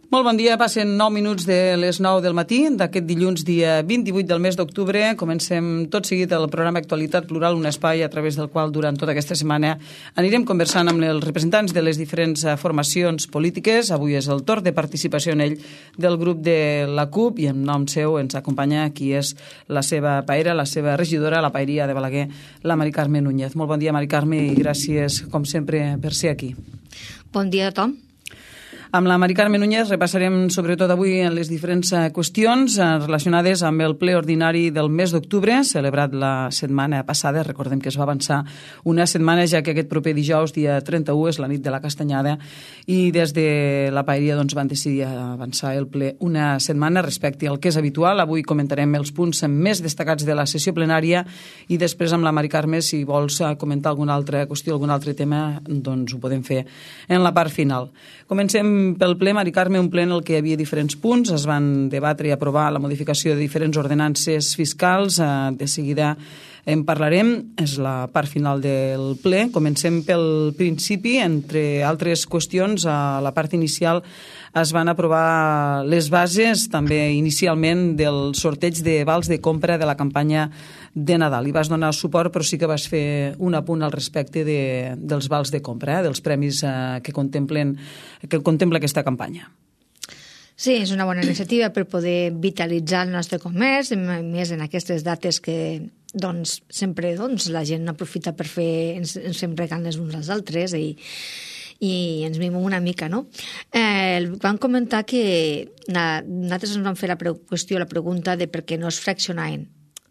Molt bon dia, passen 9 minuts de les 9 del matí d'aquest dilluns, dia 28 del mes d'octubre. Comencem tot seguit el programa Actualitat Plural, un espai a través del qual durant tota aquesta setmana anirem conversant amb els representants de les diferents formacions polítiques. Avui és el torn de participació en ell del grup de la CUP i en nom seu ens acompanya qui és la seva paera, la seva regidora, la paeria de Balaguer, la Mari Carme Núñez. Molt bon dia, Mari Carme, i gràcies, com sempre, per ser aquí. Bon dia a tothom. Amb la Mari Carme Núñez repassarem sobretot avui en les diferents qüestions relacionades amb el ple ordinari del mes d'octubre, celebrat la setmana passada. Recordem que es va avançar una setmana, ja que aquest proper dijous, dia 31, és la nit de la Castanyada, i des de la paeria van decidir avançar el ple una setmana respecte al que és habitual. Avui comentarem els punts més destacats de la sessió plenària i després amb la Mari Carme, si vols comentar alguna altra qüestió, algun altre tema, doncs ho podem fer en la part final. Comencem pel ple, Mari Carme, un ple en el que hi havia diferents punts. Es van debatre i aprovar la modificació de diferents ordenances fiscals. De seguida en parlarem. És la part final del ple. Comencem pel principi. Entre altres qüestions, a la part inicial es van aprovar les bases, també inicialment, del sorteig de vals de compra de la campanya de Nadal. Hi vas donar suport, però sí que vas fer un apunt al respecte dels vals de compra, dels premis que contempla aquesta campanya. Sí, és una bona iniciativa per poder vitalitzar el nostre comerç, més en aquestes dates que sempre la gent aprofita per fer, ens fem regals les uns als altres i ens mimem una mica, no? Vam comentar que nosaltres ens vam fer la pregunta de per què no es fraccionaven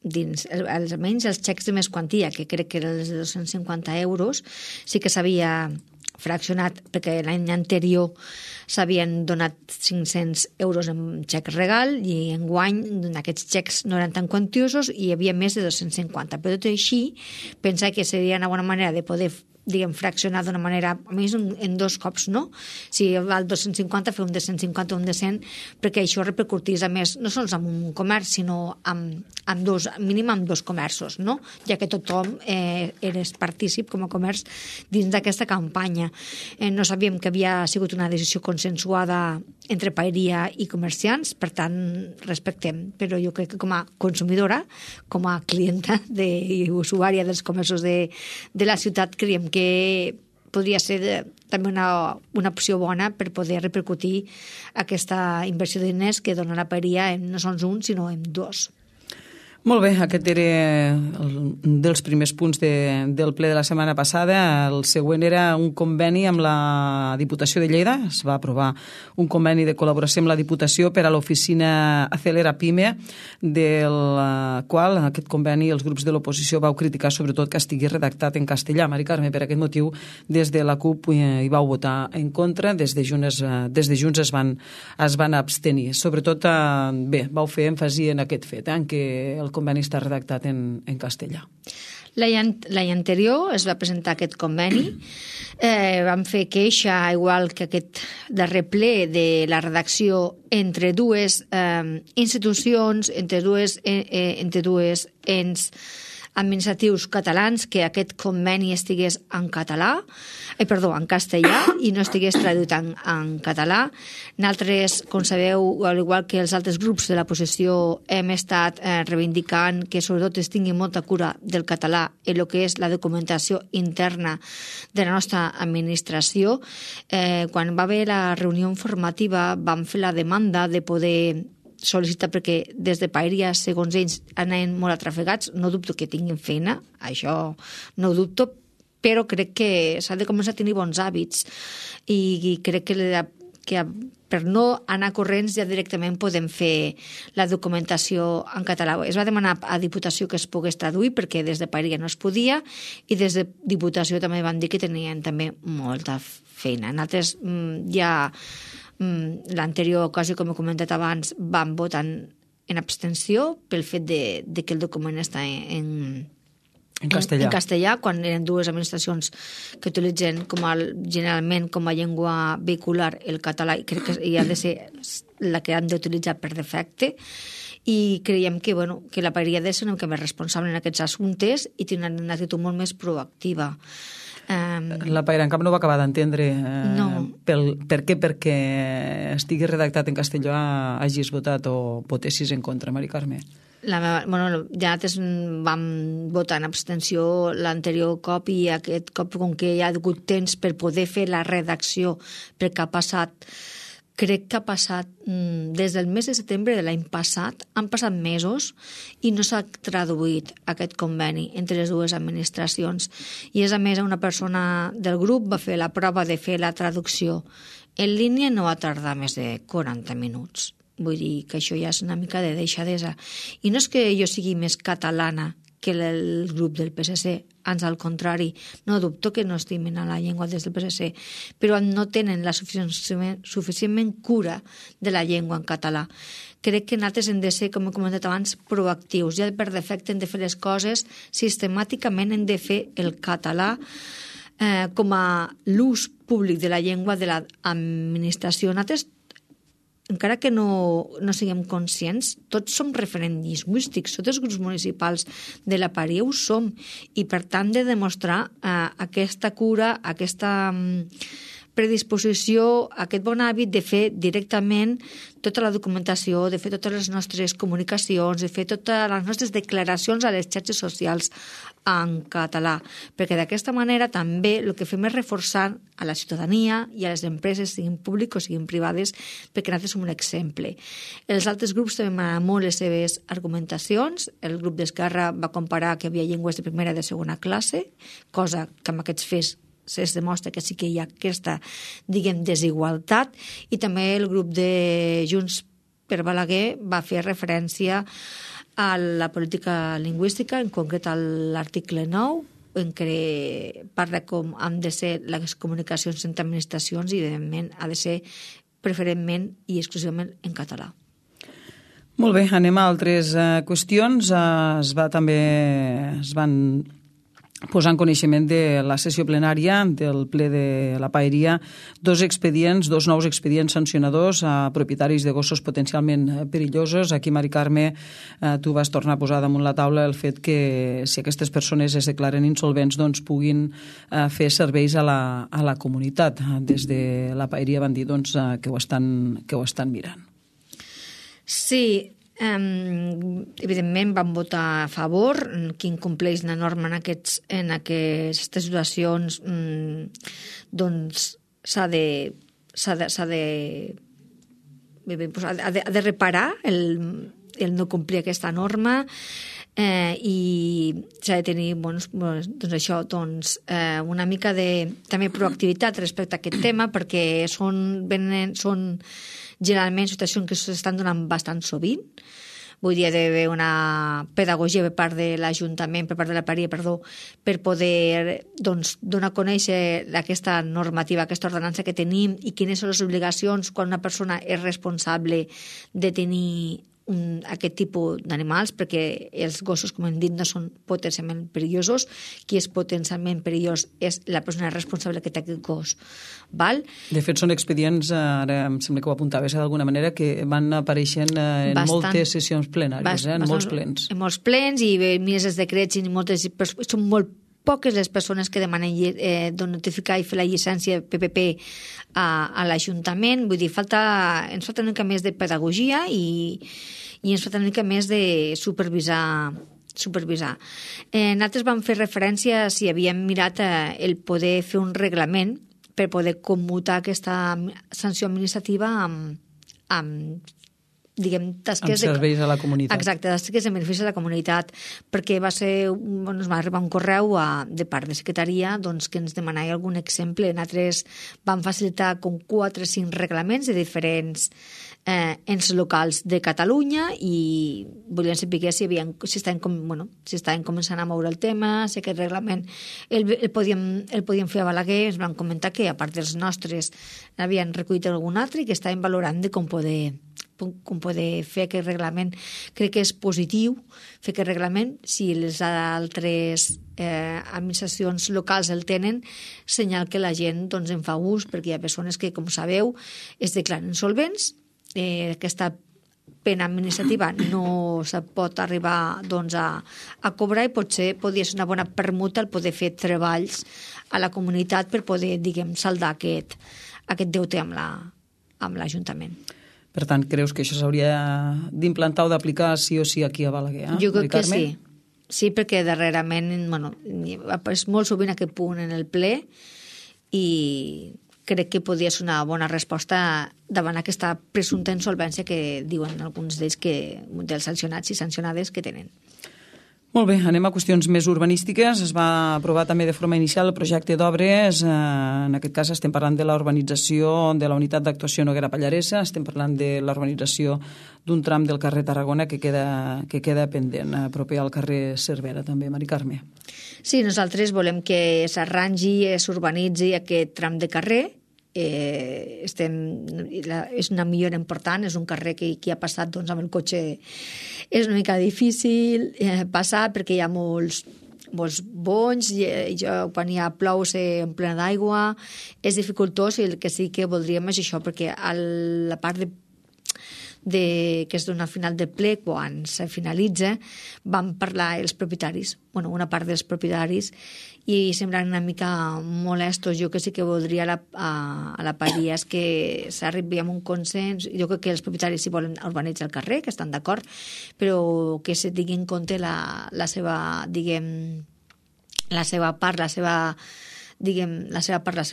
dins, almenys els xecs de més quantia, que crec que eren els de 250 euros, sí que s'havia fraccionat, perquè l'any anterior s'havien donat 500 euros en xec regal i enguany aquests xecs no eren tan quantiosos i hi havia més de 250. Però tot i així, pensa que seria una bona manera de poder fraccionar d'una manera, a més en dos cops, no? Si val 250, fer un de 150 o un de 100, perquè això repercutís a més, no sols amb un comerç, sinó amb dos, mínim amb dos comerços, no? Ja que tothom eres partícip com a comerç dins d'aquesta campanya. No sabíem que havia sigut una decisió consensuada entre paeria i comerciants, per tant, respectem. Però jo crec que com a consumidora, com a clienta i usuària dels comerços de la ciutat, creiem que podria ser també una opció bona per poder repercutir aquesta inversió de diners que dona la paeria no sols un, sinó en dos. Molt bé, aquest era un dels primers punts del ple de la setmana passada. El següent era un conveni amb la Diputació de Lleida. Es va aprovar un conveni de col·laboració amb la Diputació per a l'oficina Acelera Pime, del qual en aquest conveni els grups de l'oposició vau criticar sobretot que estigui redactat en castellà. Mari Carme, per aquest motiu, des de la CUP hi vau votar en contra, des de Junts es van abstenir. Sobretot, vau fer èmfasi en aquest fet, en què el conveni està redactat en castellà. L'any anterior es va presentar aquest conveni. Vam fer queixa, igual que aquest darrer ple, de la redacció entre dues institucions, entre dues ens administratius catalans, que aquest conveni estigués en castellà i no estigués traduït en català. Nosaltres, com sabeu, al igual que els altres grups de l'oposició, hem estat reivindicant que sobretot es tingui molta cura del català en el que és la documentació interna de la nostra administració. Quan va haver la reunió informativa vam fer la demanda de poder sol·licitar, perquè des de paeria, segons ells, anaven molt atrafegats. No dubto que tinguin feina, això no ho dubto, però crec que s'ha de començar a tenir bons hàbits i crec que per no anar corrents ja directament podem fer la documentació en català. Es va demanar a Diputació que es pogués traduir perquè des de paeria no es podia i des de Diputació també van dir que tenien també molta feina. Nosaltres ja l'anterior ocasió, com he comentat abans, vam votar en abstenció pel fet de que el document està en castellà, quan eren dues administracions que utilitzen generalment com a llengua vehicular el català, i crec que ha de ser la que han d'utilitzar per defecte. I creiem que la paeria ha de ser una mica més responsable en aquests assumptes i tenir una actitud molt més proactiva. La Pairancap no va acabar d'entendre per què perquè estigui redactat en castellà hagis votat o votessis en contra, Mari Carme. Ja nosaltres vam votar en abstenció l'anterior cop i aquest cop, com que hi ha hagut temps per poder fer la redacció, perquè ha passat, crec que ha passat des del mes de setembre de l'any passat, han passat mesos i no s'ha traduït aquest conveni entre les dues administracions. I és a més una persona del grup va fer la prova de fer la traducció en línia, no va tardar més de 40 minuts. Vull dir que això ja és una mica de deixadesa. I no és que jo sigui més catalana que el grup del PSC, ans al contrari, no dubto que no estimin a la llengua des del PSC, però no tenen la suficientment cura de la llengua en català. Crec que nosaltres hem de ser, com he comentat abans, proactius. Ja per defecte hem de fer les coses, sistemàticament hem de fer el català com a l'ús públic de la llengua de l'administració. Nosaltres, encara que no siguem conscients, tots som referents lingüístics, tots els grups municipals de la Paria ho som, i per tant de demostrar aquesta cura, aquesta predisposició, aquest bon hàbit de fer directament tota la documentació, de fer totes les nostres comunicacions, de fer totes les nostres declaracions a les xarxes socials en català, perquè d'aquesta manera també el que fem és reforçar a la ciutadania i a les empreses, siguin públiques o siguin privades, perquè nosaltres som un exemple. Els altres grups també m'agraden molt les seves argumentacions. El grup d'Esquerra va comparar que hi havia llengües de primera i de segona classe, cosa que amb aquests fets es demostra que sí que hi ha aquesta, diguem, desigualtat, i també el grup de Junts per Balaguer va fer referència a la política lingüística, en concret a l'article 9, en què parla com han de ser les comunicacions entre administracions i, evidentment, ha de ser preferentment i exclusivament en català. Molt bé, anem a altres qüestions. Es van posar en coneixement de la sessió plenària del ple de la Paeria dos nous expedients sancionadors a propietaris de gossos potencialment perillosos. Aquí, Mari Carme, tu vas tornar a posar damunt la taula el fet que si aquestes persones es declaren insolvents doncs puguin fer serveis a la comunitat. Des de la Paeria van dir doncs, que ho estan mirant. Sí, evidentment vam votar a favor. Qui incompleix la norma en aquestes situacions doncs s'ha de reparar el no complir aquesta norma, i s'ha de tenir una mica de també proactivitat respecte a aquest tema, perquè són generalment situacions que s'estan donant bastant sovint. Vull dir, hi ha d'haver una pedagogia per part de l'Ajuntament, per part de la Paria, per poder donar a conèixer aquesta normativa, aquesta ordenança que tenim i quines són les obligacions quan una persona és responsable de tenir aquest tipus d'animals, perquè els gossos, com hem dit, no són potencialment perillosos. Qui és potencialment perillós és la persona responsable que té aquest gos. Val? De fet, són expedients, ara em sembla que ho apuntaves d'alguna manera, que van apareixent en moltes sessions plenàries, en molts plens. En molts plens, i mires els decrets, i són molt poques les persones que demanen notificar i fer la llicència PPP a l'Ajuntament. Vull dir, ens falta una mica més de pedagogia i ens falta una mica més de supervisar. Nosaltres vam fer referència si havíem mirat el poder fer un reglament per poder commutar aquesta sanció administrativa amb tasques serveis a la comunitat. Exacte, tasques de benefici a la comunitat, perquè va arribar un correu de part de secretaria que ens demanava algun exemple. Nosaltres vam facilitar com 4 o 5 reglaments de diferents ens locals de Catalunya, i volien saber si estaven començant a moure el tema, si aquest reglament el podíem fer a Balaguer. Ens van comentar que, a part dels nostres, n'havien recollit algun altre i que estaven valorant de com poder fer aquest reglament. Crec que és positiu fer aquest reglament. Si les altres administracions locals el tenen, senyal que la gent en fa ús, perquè hi ha persones que, com sabeu, es declaren insolvents. Aquesta pena administrativa no se pot arribar doncs, a cobrar i potser podria ser una bona permuta el poder fer treballs a la comunitat per poder, diguem, saldar aquest deute amb l'Ajuntament. Per tant, creus que això s'hauria d'implantar o d'aplicar sí o sí aquí a Balaguer? Jo crec que sí. Sí, perquè darrerament, és molt sovint aquest punt en el ple i crec que podria ser una bona resposta davant aquesta presumpta insolvència que diuen alguns d'ells dels sancionats i sancionades que tenen. Molt bé, anem a qüestions més urbanístiques. Es va aprovar també de forma inicial el projecte d'obres. En aquest cas estem parlant de la urbanització de la unitat d'actuació Noguera Pallaresa, estem parlant de la urbanització d'un tram del carrer Tarragona que queda pendent, proper al carrer Cervera també, Mari Carme. Sí, nosaltres volem que s'arrangi, s'urbanitzi aquest tram de carrer. És una millora important, és un carrer que qui ha passat doncs, amb el cotxe és una mica difícil passar perquè hi ha molts bonys i quan hi ha plou s'emplena d'aigua, és dificultós i el que sí que voldríem és això, perquè a la part que es dona al final del ple, quan se finalitza, van parlar els propietaris, una part dels propietaris, i semblen una mica molestos. Jo que sí que voldria a la paria és que s'arribi a un consens. Jo crec que els propietaris si volen urbanitzar el carrer, que estan d'acord, però que se tingui en compte la seva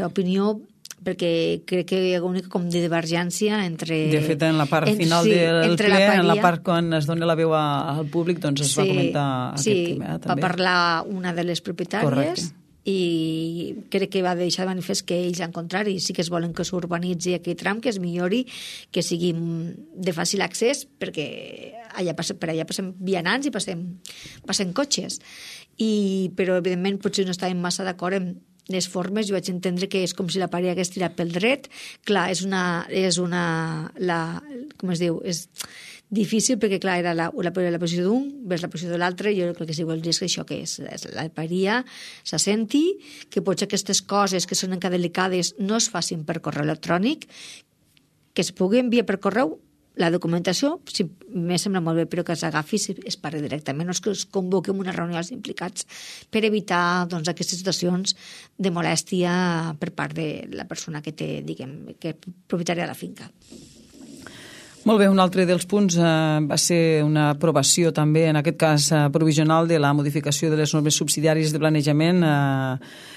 opinió, perquè crec que hi ha una com de divergència entre... De fet, en la part final del ple, en la part quan es dona la veu al públic, doncs es va comentar aquest tema. Sí, va parlar una de les propietàries. Correcte. I crec que va deixar de manifest que ells, al contrari, sí que es volen que s'urbanitzi aquest tram, que es millori, que sigui de fàcil accés, perquè per allà passem vianants i passem cotxes. Però, evidentment, potser no estàvem massa d'acord amb les formes. Jo vaig entendre que és com si la paret hagués tirat pel dret. Clar, com es diu, és difícil perquè, clar, era la posició d'un vers la posició de l'altre. Jo crec que si vols dir que això que és la paria s'assenti, que potser aquestes coses que són encara delicades no es facin per correu electrònic, que es pugui enviar per correu la documentació, sí, me sembla molt bé, però que s'agafi i es parli directament, no és que es convoqui una reunió als implicats per evitar doncs, aquestes situacions de molèstia per part de la persona que té, diguem, que és propietària de la finca. Molt bé, un altre dels punts va ser una aprovació també, en aquest cas provisional, de la modificació de les normes subsidiàries de planejament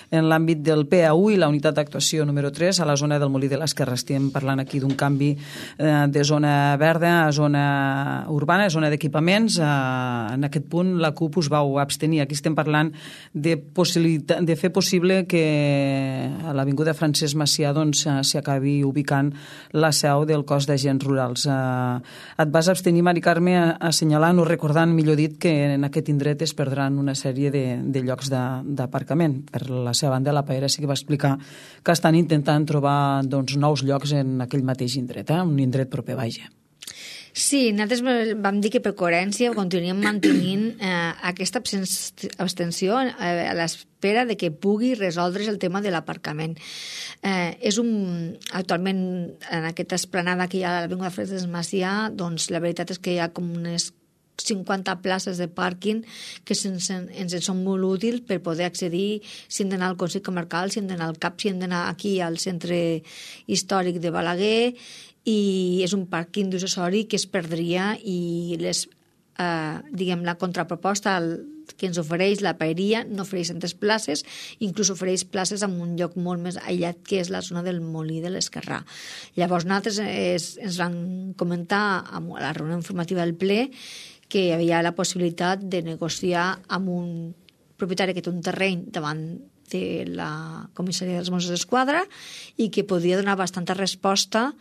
en l'àmbit del PA1 i la unitat d'actuació número 3 a la zona del Molí de l'Esquerra. Estem parlant aquí d'un canvi de zona verda a zona urbana, a zona d'equipaments. En aquest punt la CUP us vau abstenir. Aquí estem parlant de fer possible que a l'Avinguda Francesc Macià s'hi acabi ubicant la seu del cos d'agents rurals. Et vas abstenir, Mari Carme, assenyalant o recordant, millor dit, que en aquest indret es perdran una sèrie de llocs d'aparcament. Per la seva banda, la PAERA sí que va explicar que estan intentant trobar nous llocs en aquell mateix indret, un indret proper, vaja. Sí, nosaltres vam dir que per coherència continuem mantenint aquesta abstenció a l'espera de que pugui resoldre's el tema de l'aparcament. Actualment, en aquesta esplanada que hi ha a l'Avinguda Francesc Macià, doncs la veritat és que hi ha com unes 50 places de pàrquing que ens són molt útils per poder accedir, si hem d'anar al Consell Comarcal, si hem d'anar al CAP, si hem d'anar aquí al Centre Històric de Balaguer, i és un pàrquing d'usuari que es perdria i la contraproposta que ens ofereix la paeria no ofereix tantes places, inclús ofereix places en un lloc molt més aïllat que és la zona del Molí de l'Esquerrà. Llavors nosaltres ens van comentar a la reunió informativa del ple que hi havia la possibilitat de negociar amb un propietari que té un terreny davant de la comissaria dels Mossos d'Esquadra i que podria donar bastanta resposta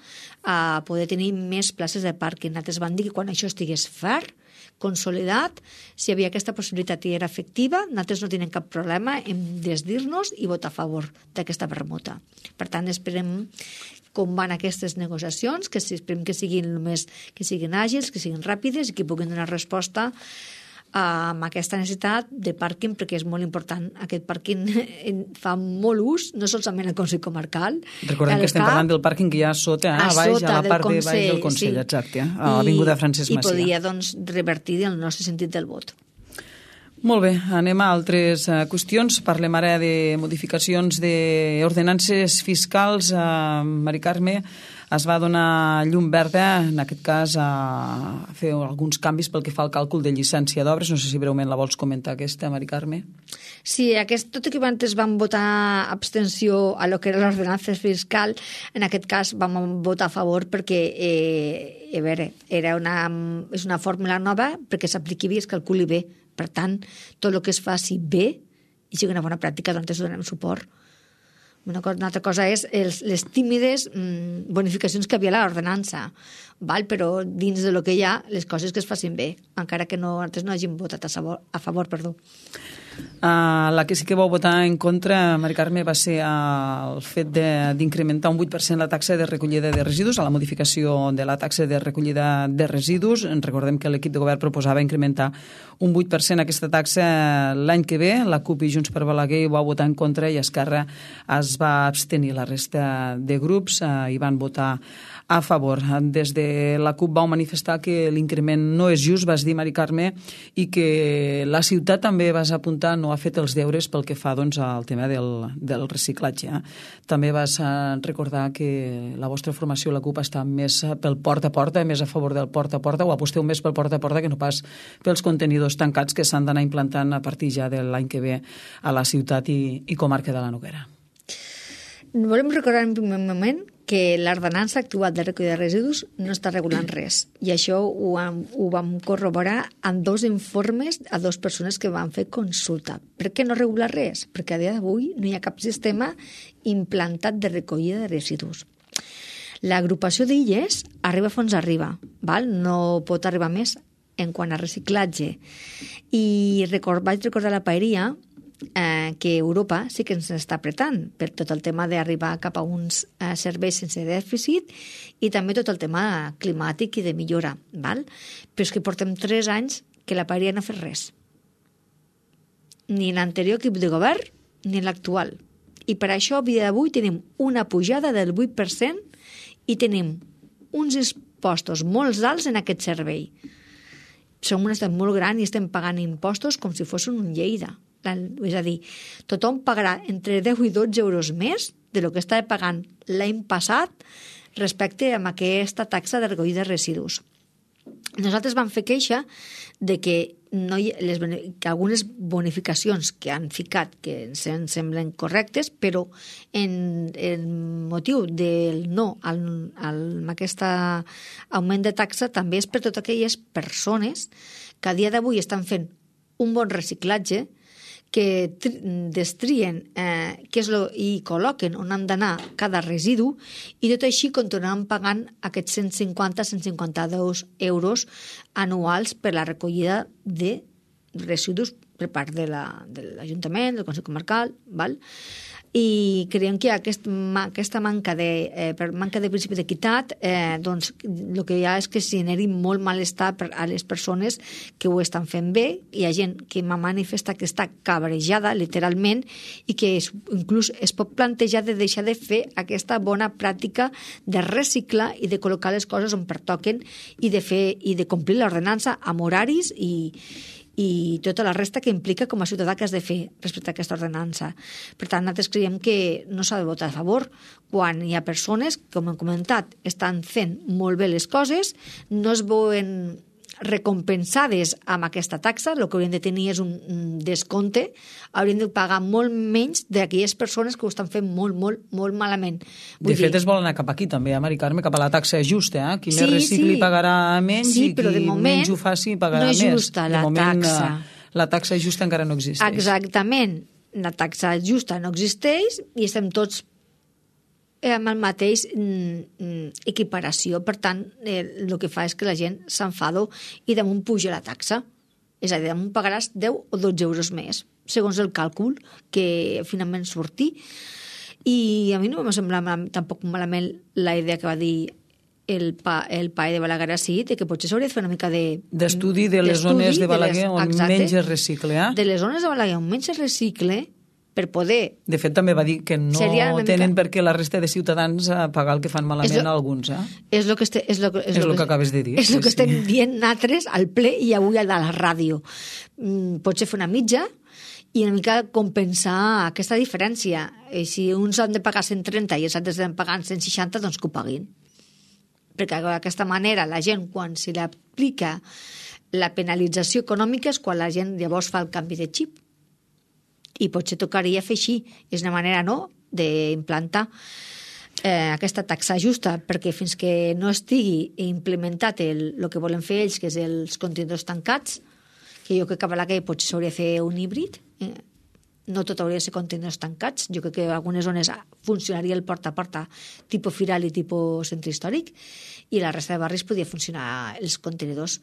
a poder tenir més places de pàrquing. Nosaltres van dir que quan això estigués fert, consolidat, si hi havia aquesta possibilitat i era efectiva, nosaltres no tenim cap problema en desdir-nos i votar a favor d'aquesta permuta. Per tant, esperem com van aquestes negociacions, que esperem que siguin àgils, que siguin ràpides i que puguin donar resposta amb aquesta necessitat de pàrquing, perquè és molt important. Aquest pàrquing fa molt ús, no solament al Consell Comarcal. Recordem que estem parlant del pàrquing que hi ha sota, a baix, a la part de baix del Consell, exacte, a l'Avinguda Francesc Macià. I podia, doncs, revertir el nostre sentit del vot. Molt bé, anem a altres qüestions. Parlem ara de modificacions d'ordenances fiscals. Mari Carme, es va donar llum verda, en aquest cas, a fer alguns canvis pel que fa al càlcul de llicència d'obres. No sé si breument la vols comentar, aquesta, Mari Carme. Sí, tot i que antes vam votar abstenció a lo que era l'ordenança fiscal, en aquest cas vam votar a favor perquè a veure, és una fórmula nova perquè s'apliqui bé i es calculi bé. Per tant, tot el que es faci bé i sigui una bona pràctica, doncs donem suport. Una altra cosa és les tímides bonificacions que havia a l'ordenança, però dins del que hi ha, les coses que es facin bé, encara que antes no hagin votat a favor. La que sí que vau votar en contra, Mari Carme, va ser el fet d'incrementar un 8% la taxa de recollida de residus, a la modificació de la taxa de recollida de residus. Recordem que l'equip de govern proposava incrementar un 8% aquesta taxa l'any que ve. La CUP i Junts per Balaguer hi va votar en contra i Esquerra es va abstenir. La resta de grups hi van votar a favor. Des de la CUP vau manifestar que l'increment no és just, vas dir, Mari Carme, i que la ciutat també vas apuntar no ha fet els deures pel que fa al tema del reciclatge. També vas recordar que la vostra formació, la CUP, està més pel porta a porta, més a favor del porta a porta, o aposteu més pel porta a porta que no pas pels contenidors tancats que s'han d'anar implantant a partir ja de l'any que ve a la ciutat i comarca de la Noguera. Volem recordar en primer moment que l'ordenança actual de recollida de residus no està regulant res. I això ho vam corroborar amb 2 informes a 2 persones que van fer consulta. Per què no regula res? Perquè a dia d'avui no hi ha cap sistema implantat de recollida de residus. L'agrupació d'illes arriba fons arriba, no pot arribar més en quant a reciclatge. I vaig recordar a la paeria que Europa sí que ens està apretant per tot el tema d'arribar cap a uns serveis sense dèficit i també tot el tema climàtic i de millora. Però és que portem 3 anys que la paeria no ha fet res. Ni l'anterior equip de govern ni l'actual. I per això, a dia d'avui, tenim una pujada del 8% i tenim uns impostos molt alts en aquest servei. Som un estat molt gran i estem pagant impostos com si fossin un Lleida. És a dir, tothom pagarà entre 10 i 12 euros més de lo que estava pagant l'any passat respecte a aquesta taxa de recollida de residus. Nosaltres vam fer queixa de que algunes bonificacions que han ficat que ens semblen correctes, però en motiu del no amb aquest augment de taxa també és per totes aquelles persones que a dia d'avui estan fent un bon reciclatge, que destrien i col·loquen on han d'anar cada residu i tot així continuaran pagant aquests 150-152 euros anuals per la recollida de residus per part de l'Ajuntament, del Consell Comarcal, i creiem que aquesta manca de principi d'equitat, doncs el que hi ha és que es generi molt malestar a les persones que ho estan fent bé. Hi ha gent que m'ha manifestat que està cabrejada, literalment, i que inclús es pot plantejar de deixar de fer aquesta bona pràctica de reciclar i de col·locar les coses on pertoquen i de complir l'ordenança amb horaris i tota la resta que implica com a ciutadà que has de fer respecte a aquesta ordenança. Per tant, nosaltres creiem que no s'ha de votar a favor quan hi ha persones, com hem comentat, estan fent molt bé les coses, no es veuen recompensades amb aquesta taxa, el que haurien de tenir és un descompte, haurien de pagar molt menys d'aquelles persones que ho estan fent molt, molt, molt malament. De fet, es vol anar cap aquí també, Mari Carme, cap a la taxa justa. Qui més recicli pagarà menys i qui menys ho faci pagarà més. No és justa la taxa. La taxa justa encara no existeix. Exactament. La taxa justa no existeix i estem tots amb el mateix equiparació. Per tant, el que fa és que la gent s'enfada i damunt puja la taxa. És a dir, damunt pagaràs 10 o 12 euros més, segons el càlcul que finalment surti. I a mi no m'ha semblat tampoc malament la idea que va dir el PAE de Balaguer sí, que potser s'hauria de fer una mica d'estudi de les zones de Balaguer on menys es recicla. De les zones de Balaguer on menys es recicla, per poder... De fet, també va dir que no tenen perquè la resta de ciutadans a pagar el que fan malament a alguns. És el que acabes de dir. És el que estem dient nosaltres al ple i avui a la ràdio. Potser fer una mitja i una mica compensar aquesta diferència. I si uns han de pagar 130 i els altres han de pagar 160, doncs que ho paguin. Perquè d'aquesta manera la gent, quan se li aplica la penalització econòmica, és quan la gent llavors fa el canvi de xip. I potser tocaria fer així. És una manera, no?, d'implantar aquesta taxa justa, perquè fins que no estigui implementat el que volen fer ells, que és els contenidors tancats, que jo crec que a Balaguer potser s'hauria de fer un híbrid, no tot hauria de ser contenidors tancats, jo crec que en algunes zones funcionaria el porta a porta tipus firal i tipus centre històric, i la resta de barris podria funcionar els contenidors.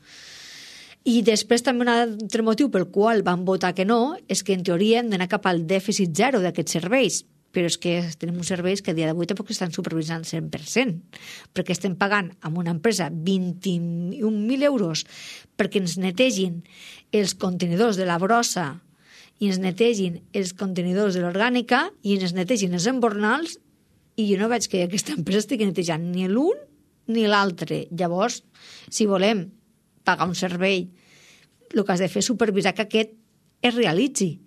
I després també un altre motiu pel qual van votar que no és que en teoria hem d'anar cap al dèficit zero d'aquests serveis, però és que tenim uns serveis que a dia d'avui tampoc estan supervisant 100%, perquè estem pagant amb una empresa 21.000 euros perquè ens netegin els contenidors de la brossa i ens netegin els contenidors de l'orgànica i ens netegin els embornals, i jo no veig que aquesta empresa estigui netejant ni l'un ni l'altre. Llavors, si volem pagar un servei, el que has de fer és supervisar que aquest es realitzi.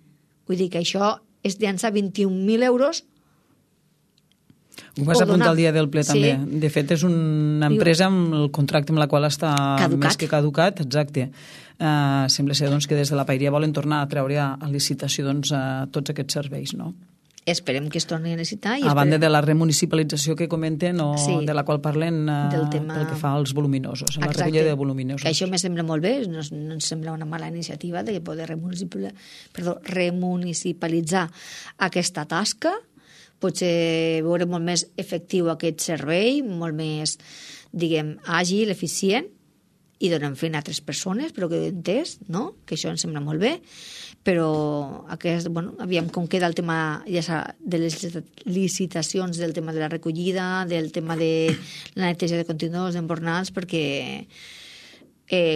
Vull dir que això és llançar 21.000 euros. Ho vas apuntar al dia del ple, també. Sí. De fet, és una empresa amb el contracte amb la qual està més que caducat. Exacte. Sembla ser doncs, que des de la Paeria volen tornar a treure a licitació doncs, tots aquests serveis, no? Esperem que es torni a necessitar. A banda de la remunicipalització que comenten o de la qual parlen pel que fa als voluminosos, la recollida de voluminosos. Que això me sembla molt bé, no ens sembla una mala iniciativa de poder remunicipalitzar aquesta tasca. Potser veure molt més efectiu aquest servei, molt més, diguem, àgil, eficient, i donen feina a altres persones, però que he entès, no? Que això em sembla molt bé, però aviam com queda el tema de les licitacions, del tema de la recollida, del tema de la neteja de contenidors, d'embornals, perquè,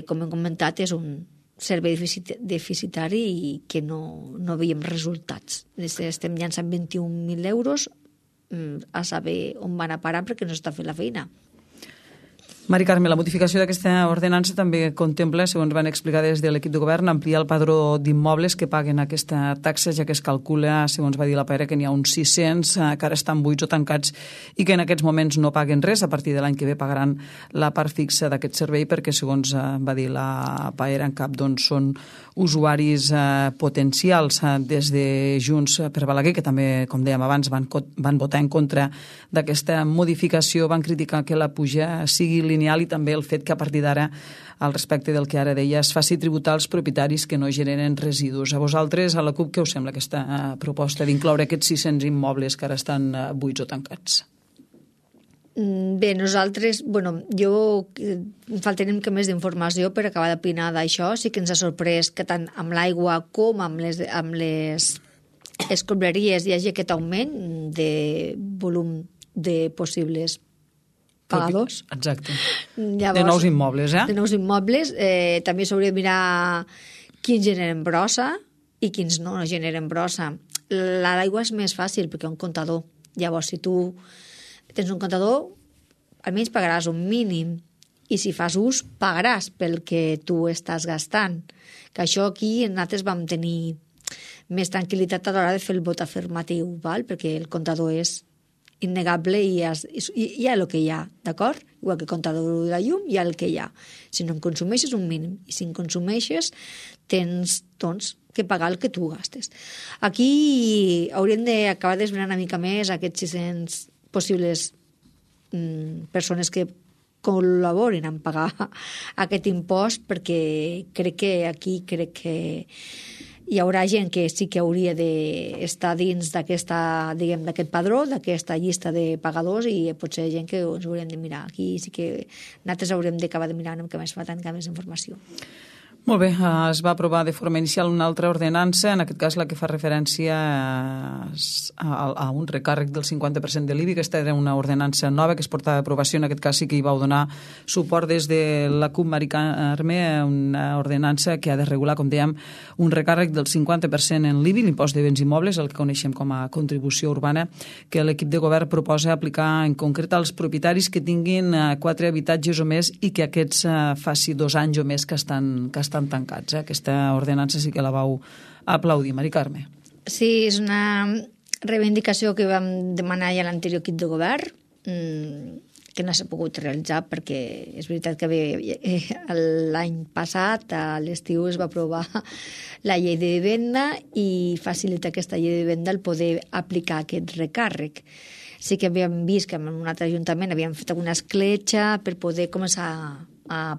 com hem comentat, és un servei deficitari i que no veiem resultats. Estem llançant 21.000 euros a saber on van a parar perquè no s'està fent la feina. Mari Carme, la modificació d'aquesta ordenança també contempla, segons van explicar des de l'equip de govern, ampliar el padró d'immobles que paguen aquesta taxa, ja que es calcula, segons va dir la Paera, que n'hi ha uns 600 que ara estan buits o tancats i que en aquests moments no paguen res. A partir de l'any que ve pagaran la part fixa d'aquest servei perquè, segons va dir la Paera en cap, doncs són usuaris potencials. Des de Junts per Balaguer, que també, com dèiem abans, van votar en contra d'aquesta modificació, van criticar que la puja sigui lineal i també el fet que a partir d'ara, al respecte del que ara deia, es faci tributar als propietaris que no generen residus. A vosaltres, a la CUP, què us sembla aquesta proposta d'incloure aquests 600 immobles que ara estan buits o tancats? Bé, nosaltres, jo faltarem que més d'informació per acabar d'opinar d'això. Sí que ens ha sorprès que tant amb l'aigua com amb les escombraries hi hagi aquest augment de volum de possibles pagadors. Exacte. Llavors, de nous immobles, De nous immobles. També s'hauria de mirar quins generen brossa i quins no generen brossa. L'aigua és més fàcil perquè hi ha un comptador. Llavors, si tu tens un comptador, almenys pagaràs un mínim i si fas ús, pagaràs pel que tu estàs gastant. Que això aquí nosaltres vam tenir més tranquil·litat a l'hora de fer el vot afirmatiu, val? Perquè el comptador és innegable i hi ha el que hi ha, d'acord? Igual que el comptador de la llum, hi ha el que hi ha. Si no en consumeixes, un mínim. I si en consumeixes, tens, doncs, que pagar el que tu gastes. Aquí hauríem d'acabar d'esbrinar una mica més aquests 600 possibles persones que col·laborin en pagar aquest impost, perquè crec que hi haurà gent que sí que hauria d'estar dins d'aquest padró, d'aquesta llista de pagadors, i potser gent que ens hauríem de mirar. Aquí sí que nosaltres haurem d'acabar de mirar una mica més, faltant més informació. Molt bé, es va aprovar de forma inicial una altra ordenança, en aquest cas la que fa referència a un recàrrec del 50% de l'IBI. Aquesta era una ordenança nova que es portava d'aprovació, en aquest cas sí que hi vau donar suport des de la CUP Mari Carme, una ordenança que ha de regular, com dèiem, un recàrrec del 50% en l'IBI, l'impost de béns immobles, el que coneixem com a contribució urbana, que l'equip de govern proposa aplicar en concret als propietaris que tinguin 4 habitatges o més i que aquests faci 2 anys o més que estan tancats. Aquesta ordenança sí que la vau aplaudir, Mari Carme. Sí, és una reivindicació que vam demanar ja a l'anterior equip de govern, que no s'ha pogut realitzar perquè és veritat que l'any passat, a l'estiu, es va aprovar la llei de vivenda i facilita aquesta llei de vivenda el poder aplicar aquest recàrrec. Sí que havíem vist que en un altre ajuntament havíem fet alguna escletxa per poder començar a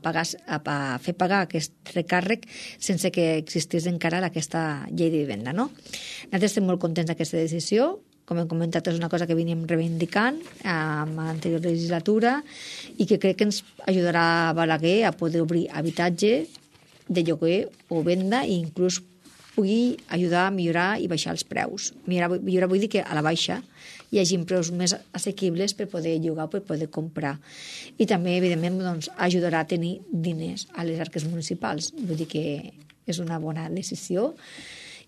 fer pagar aquest recàrrec sense que existís encara aquesta llei de vivenda, no? Nosaltres estem molt contents d'aquesta decisió. Com hem comentat, és una cosa que veníem reivindicant en l'anterior legislatura i que crec que ens ajudarà a Balaguer a poder obrir habitatge de lloguer o venda i inclús pugui ajudar a millorar i baixar els preus. Millorar vull dir que a la baixa hi hagi preus més assequibles per poder llogar o per poder comprar. I també, evidentment, doncs, ajudarà a tenir diners a les arques municipals. Vull dir que és una bona decisió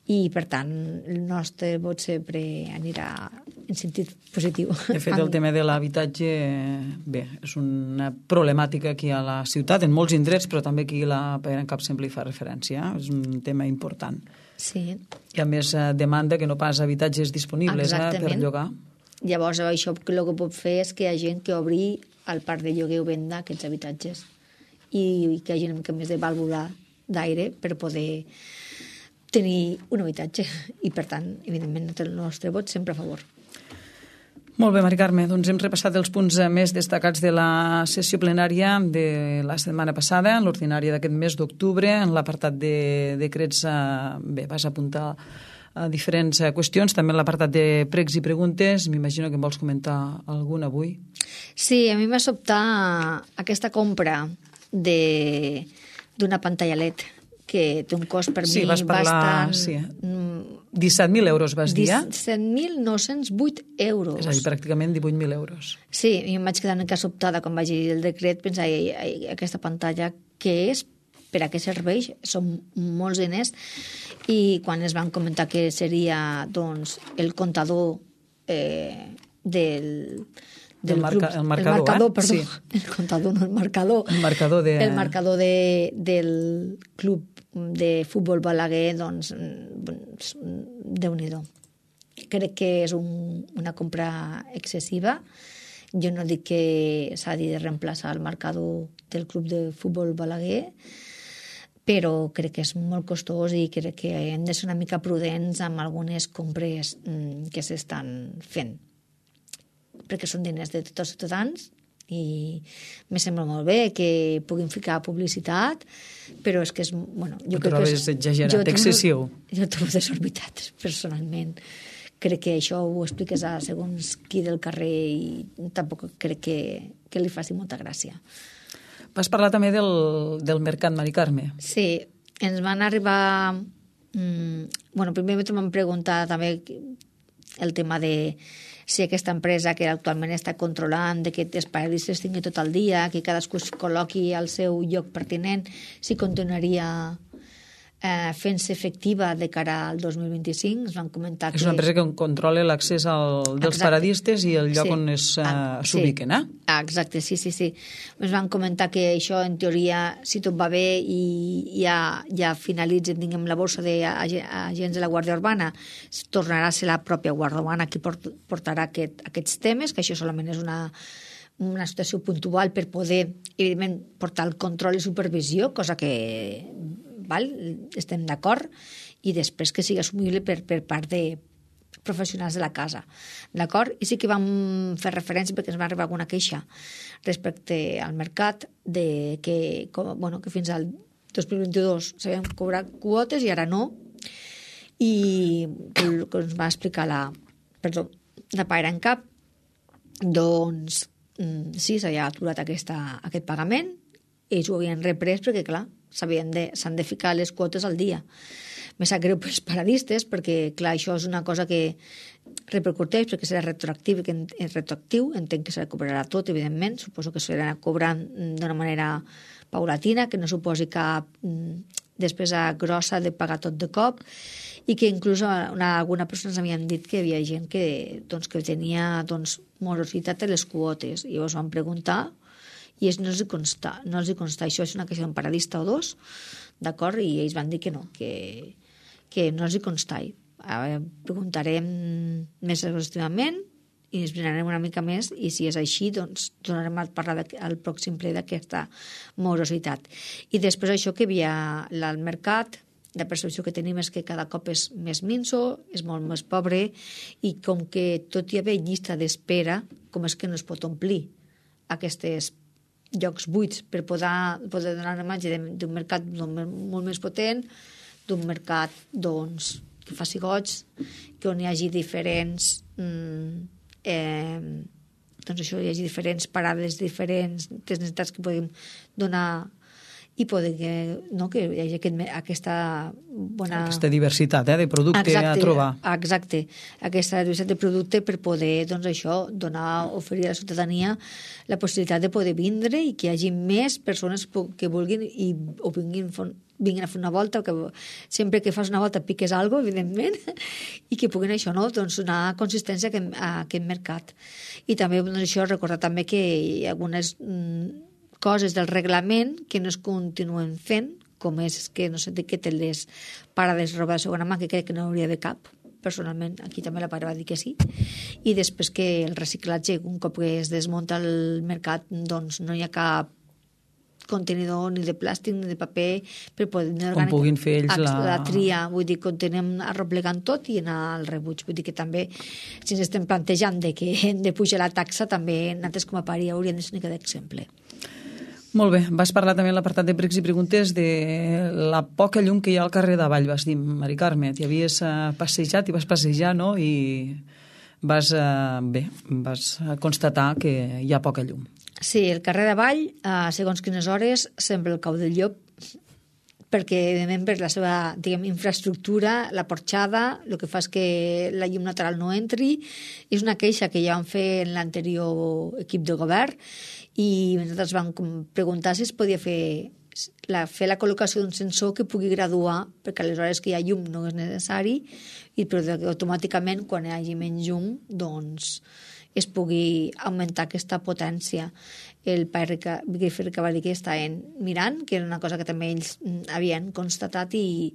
i, per tant, el nostre vot sempre anirà en sentit positiu. De fet, el tema de l'habitatge, bé, és una problemàtica aquí a la ciutat, en molts indrets, però també aquí la PDeCAT sempre hi fa referència. És un tema important. Sí. Hi ha més demanda que no pas habitatges disponibles per llogar. Llavors, això el que pot fer és que hi ha gent que obri el parc de lloguer o venda aquests habitatges i que hi hagi una mica més de vàlvula d'aire per poder tenir un habitatge i, per tant, evidentment, el nostre vot sempre a favor. Molt bé, Mari Carme, doncs hem repassat els punts més destacats de la sessió plenària de la setmana passada, en l'ordinària d'aquest mes d'octubre, en l'apartat de decrets, bé, vas apuntar a diferents qüestions, també en l'apartat de pregs i preguntes. M'imagino que em vols comentar alguna avui. Sí, a mi m'ha sobtat aquesta compra d'una pantalla LED que té un cost per mi bastant... Sí. 17.000 euros, vas dir? 17.908 euros. És a dir, pràcticament 18.000 euros. Sí, jo em vaig quedar una mica sobtada quan vaig llegir el decret, pensar, aquesta pantalla, què és? Per a què serveix? Són molts diners. I quan es van comentar que seria, doncs, el comptador del marcador, perdó. Sí. El comptador, no el marcador. El marcador del club de futbol Balaguer, doncs, Déu-n'hi-do. Crec que és una compra excessiva. Jo no dic que s'ha de reemplaçar el marcador del club de futbol Balaguer, però crec que és molt costós i crec que hem de ser una mica prudents amb algunes compres que s'estan fent, perquè són diners de tots els ciutadans i me sembla molt bé que puguin ficar publicitat, però és que és... Bueno, jo crec que és exagerat, excessiu. Jo trobo desorbitat, personalment. Crec que això ho expliques a segons qui del carrer i tampoc crec que li faci molta gràcia. Vas parlar també del mercat, Mari Carme. Sí, ens van arribar... primer m'han preguntat també el tema de si aquesta empresa que actualment està controlant de que els periodistes tinguin tot el dia, que cadascú es col·loqui al seu lloc pertinent, si continuaria fent-se efectiva de cara al 2025. Ens van comentar que... És una empresa que controla l'accés dels periodistes i el lloc on s'ubiquen, Exacte, sí. Ens van comentar que això, en teoria, si tot va bé i ja finalitzen, diguem, la borsa d'agents de la Guàrdia Urbana, tornarà a ser la pròpia Guàrdia Urbana qui portarà aquests temes, que això solament és una situació puntual per poder, evidentment, portar el control i supervisió, cosa que estem d'acord, i després que sigui assumible per part de professionals de la casa. D'acord? I sí que vam fer referència, perquè ens va arribar alguna queixa respecte al mercat, que fins al 2022 sabíem cobrar quotes i ara no, i el que ens va explicar la PDeCAT, doncs sí, s'havia aturat aquest pagament ells ho havien reprès perquè, clar, s'han de ficar les quotes al dia. Me sap greu pels paradistes perquè, clar, això és una cosa que repercuteix perquè serà retroactiu, entenc que se recuperarà tot, evidentment, suposo que s'anirà cobrant d'una manera paulatina, que no suposi cap despesa grossa de pagar tot de cop, i que inclús alguna persona ens havien dit que hi havia gent que tenia morositat a les quotes, i llavors van preguntar i no els hi consta. Això és una queixa d'un paradista o dos, d'acord? I ells van dir que no, que no els hi consta. Preguntarem més exhaustivament i ens mirarem una mica més, i si és així, doncs tornarem a parlar al pròxim ple d'aquesta morositat. I després això que hi havia al mercat, la percepció que tenim és que cada cop és més minso, és molt més pobre, i com que tot hi havia llista d'espera, com és que no es pot omplir aquests llocs buits per poder donar una imatge d'un mercat molt més potent, d'un mercat que faci goig, que on hi hagi diferents hi hagi diferents parades, diferents necessitats que podem donar, i poder que hi hagi aquesta bona... Aquesta diversitat de producte a trobar. Exacte, aquesta diversitat de producte per poder, oferir a la ciutadania la possibilitat de poder vindre i que hi hagi més persones que vulguin o vinguin a fer una volta, o que sempre que fas una volta piques alguna cosa, evidentment, i que puguin donar consistència a aquest mercat. I també recordar també que hi ha algunes coses del reglament que no es continuen fent, com és que no s'etiqueten les parades de roba de segona mà, que crec que no hauria de cap. Personalment, aquí també la pare va dir que sí. I després que el reciclatge, un cop que es desmunta el mercat, doncs no hi ha cap contenidor ni de plàstic ni de paper per poder... Com puguin fer ells la tria, vull dir, continuem arreplegant tot i anar al rebuig. Vull dir que també, si ens estem plantejant que hem de pujar la taxa, també nosaltres com a pari hauríem de ser una mica d'exemple. Molt bé, vas parlar també en l'apartat de pregs i preguntes de la poca llum que hi ha al carrer d'Avall, vas dir, Mari Carme, t'hi havies passejat i vas passejar, no?, i vas constatar que hi ha poca llum. Sí, el carrer d'Avall, segons quines hores, sembla el cau del llop, perquè, evidentment, per la seva, infraestructura, la porxada, el que fa és que la llum natural no entri. És una queixa que ja vam fer en l'anterior equip de govern, i nosaltres vam preguntar si es podia fer la col·locació d'un sensor que pugui graduar, perquè a les hores que hi ha llum no és necessari, però automàticament, quan hi hagi menys llum, doncs es pugui augmentar aquesta potència. El pare va dir que estaven mirant, que era una cosa que també ells havien constatat, i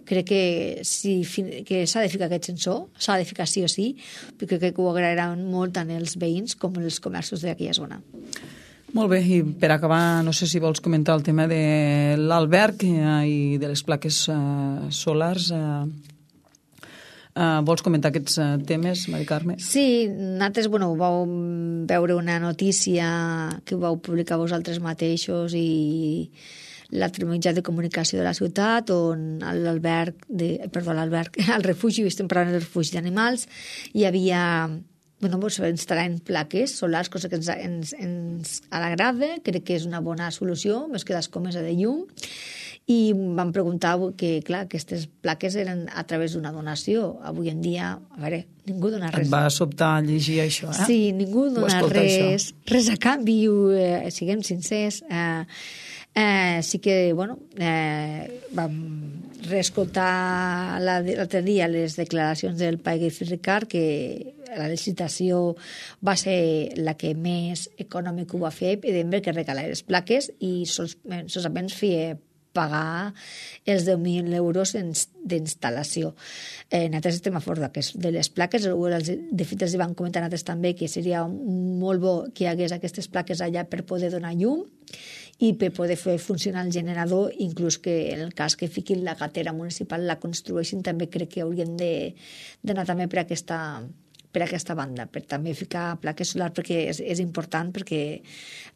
crec que s'ha de ficar aquest sensor, s'ha de ficar sí o sí, perquè crec que ho agrairan molt tant els veïns com els comerços d'aquella zona. Molt bé, i per acabar, no sé si vols comentar el tema de l'alberg i de les plaques solars. Vols comentar aquests temes, Mari Carme? Sí, nosaltres vau veure una notícia que vau publicar vosaltres mateixos i l'altre mitjà de comunicació de la ciutat, on al refugi, estem parlant del refugi d'animals, hi havia... instal·lant plaques solars, cosa que ens agrada, crec que és una bona solució, més que l'escomesa de llum, i vam preguntar que, clar, aquestes plaques eren a través d'una donació. Avui en dia, a veure, ningú dona res. Et va sobtar llegir això, eh? Sí, ningú dona res a canvi, siguem sincers. Sí que, vam reescoltar l'altre dia les declaracions del Pérez Ricard, que la licitació va ser la que més econòmic ho va fer, evidentment que regalar les plaques, i solament feia pagar els 10.000 euros d'instal·lació. Nosaltres estem a favor de les plaques. De fet, els van comentar nosaltres també que seria molt bo que hi hagués aquestes plaques allà per poder donar llum i per poder fer funcionar el generador, inclús que en el cas que fiquin la gatera municipal la construeixin, també crec que haurien d'anar també per aquesta banda, per també ficar plaques solars, perquè és important, perquè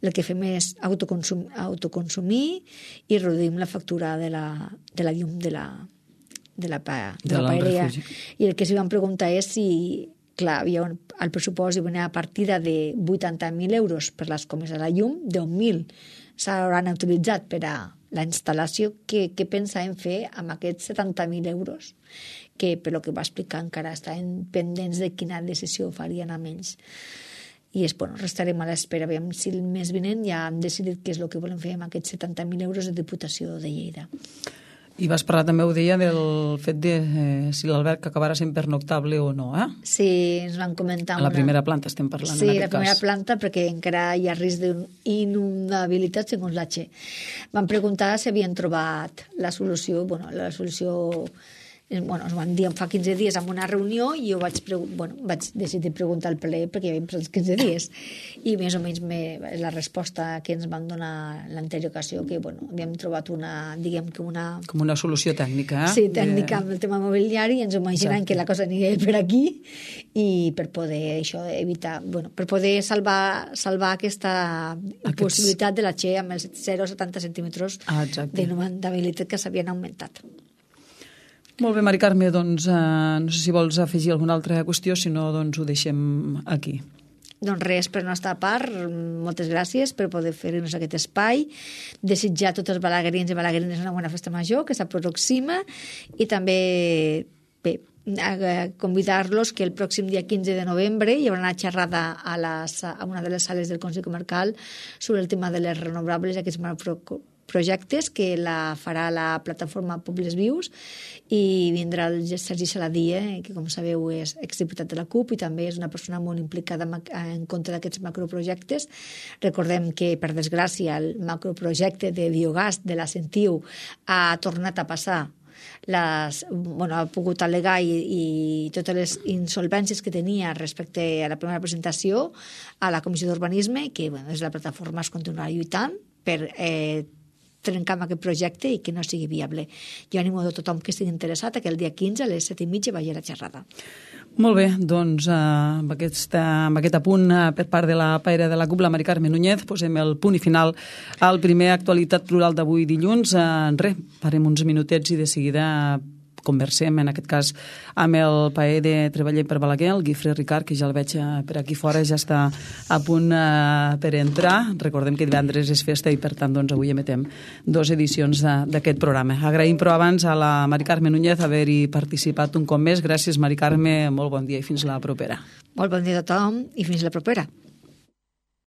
el que fem és autoconsumir i reduïm la factura de la llum de la paeria. I el que s'hi van preguntar és si clar, el pressupost hi venia a partida de 80.000 euros per les comes de la llum, 10.000 s'hauran utilitzat per a la instal·lació. Què pensàvem fer amb aquests 70.000 euros? Que, per lo que va explicar, encara estaven pendents de quina decisió farien amb ells. I restarem a l'espera. Veiem si el mes vinent ja han decidit què és el que volem fer amb aquests 70.000 euros de Diputació de Lleida. I vas parlar també, ho deia, del fet de si l'alberg acabarà sent pernoctable o no, eh? Sí, ens van comentar... A la primera planta estem parlant, sí, en aquest cas. Sí, la primera planta, perquè encara hi ha risc d'inundabilitat, segons l'H. Van preguntar si havien trobat la solució, la solució... ens van dir fa 15 dies en una reunió i jo vaig decidir preguntar al ple perquè hi havia passat 15 dies i més o menys la resposta que ens van donar l'anterior ocasió que havíem trobat com una solució tècnica, eh? Sí, tècnica amb el tema mobiliari i ens imaginàvem que la cosa aniria per aquí i per poder evitar, per poder salvar aquesta possibilitat de la Che amb els 0,70 centímetres d'inundabilitat que s'havien augmentat. Molt bé, Mari Carme, doncs no sé si vols afegir alguna altra qüestió, si no, doncs ho deixem aquí. Doncs res, per nostra part, moltes gràcies per poder fer-nos aquest espai, desitjar a tots els balaguerins i balaguerines una bona festa major que s'aproxima i també convidar-los que el pròxim dia 15 de novembre hi haurà una xerrada a una de les sales del Consell Comarcal sobre el tema de les renovables, aquests projectes que la farà la plataforma Pobles Vius i vindrà el Sergi Saladié, que com sabeu és exdiputat de la CUP i també és una persona molt implicada en contra d'aquests macroprojectes. Recordem que, per desgràcia, el macroprojecte de biogàs de la Sentiu ha tornat a passar ha pogut al·legar i totes les insolvències que tenia respecte a la primera presentació a la Comissió d'Urbanisme, que des de la plataforma es continuarà lluitant per trencar amb aquest projecte i que no sigui viable. Jo animo a tothom que estigui interessat que el dia 15 a les 7:30 vagi a la xerrada. Molt bé, doncs amb aquest apunt per part de la paire de la CUP, la Mari Carme Núñez, posem el punt i final al primer Actualitat Plural d'avui dilluns. Farem uns minutets i de seguida conversem, en aquest cas, amb el paer de Treballar per Balaguer, el Guifré Ricard, que ja el veig per aquí fora, ja està a punt per entrar. Recordem que divendres és festa i, per tant, doncs, avui emetem 2 edicions d'aquest programa. Agraïm, però, abans a la Mari Carme Núñez haver-hi participat un cop més. Gràcies, Mari Carme, molt bon dia i fins la propera. Molt bon dia a tothom i fins la propera.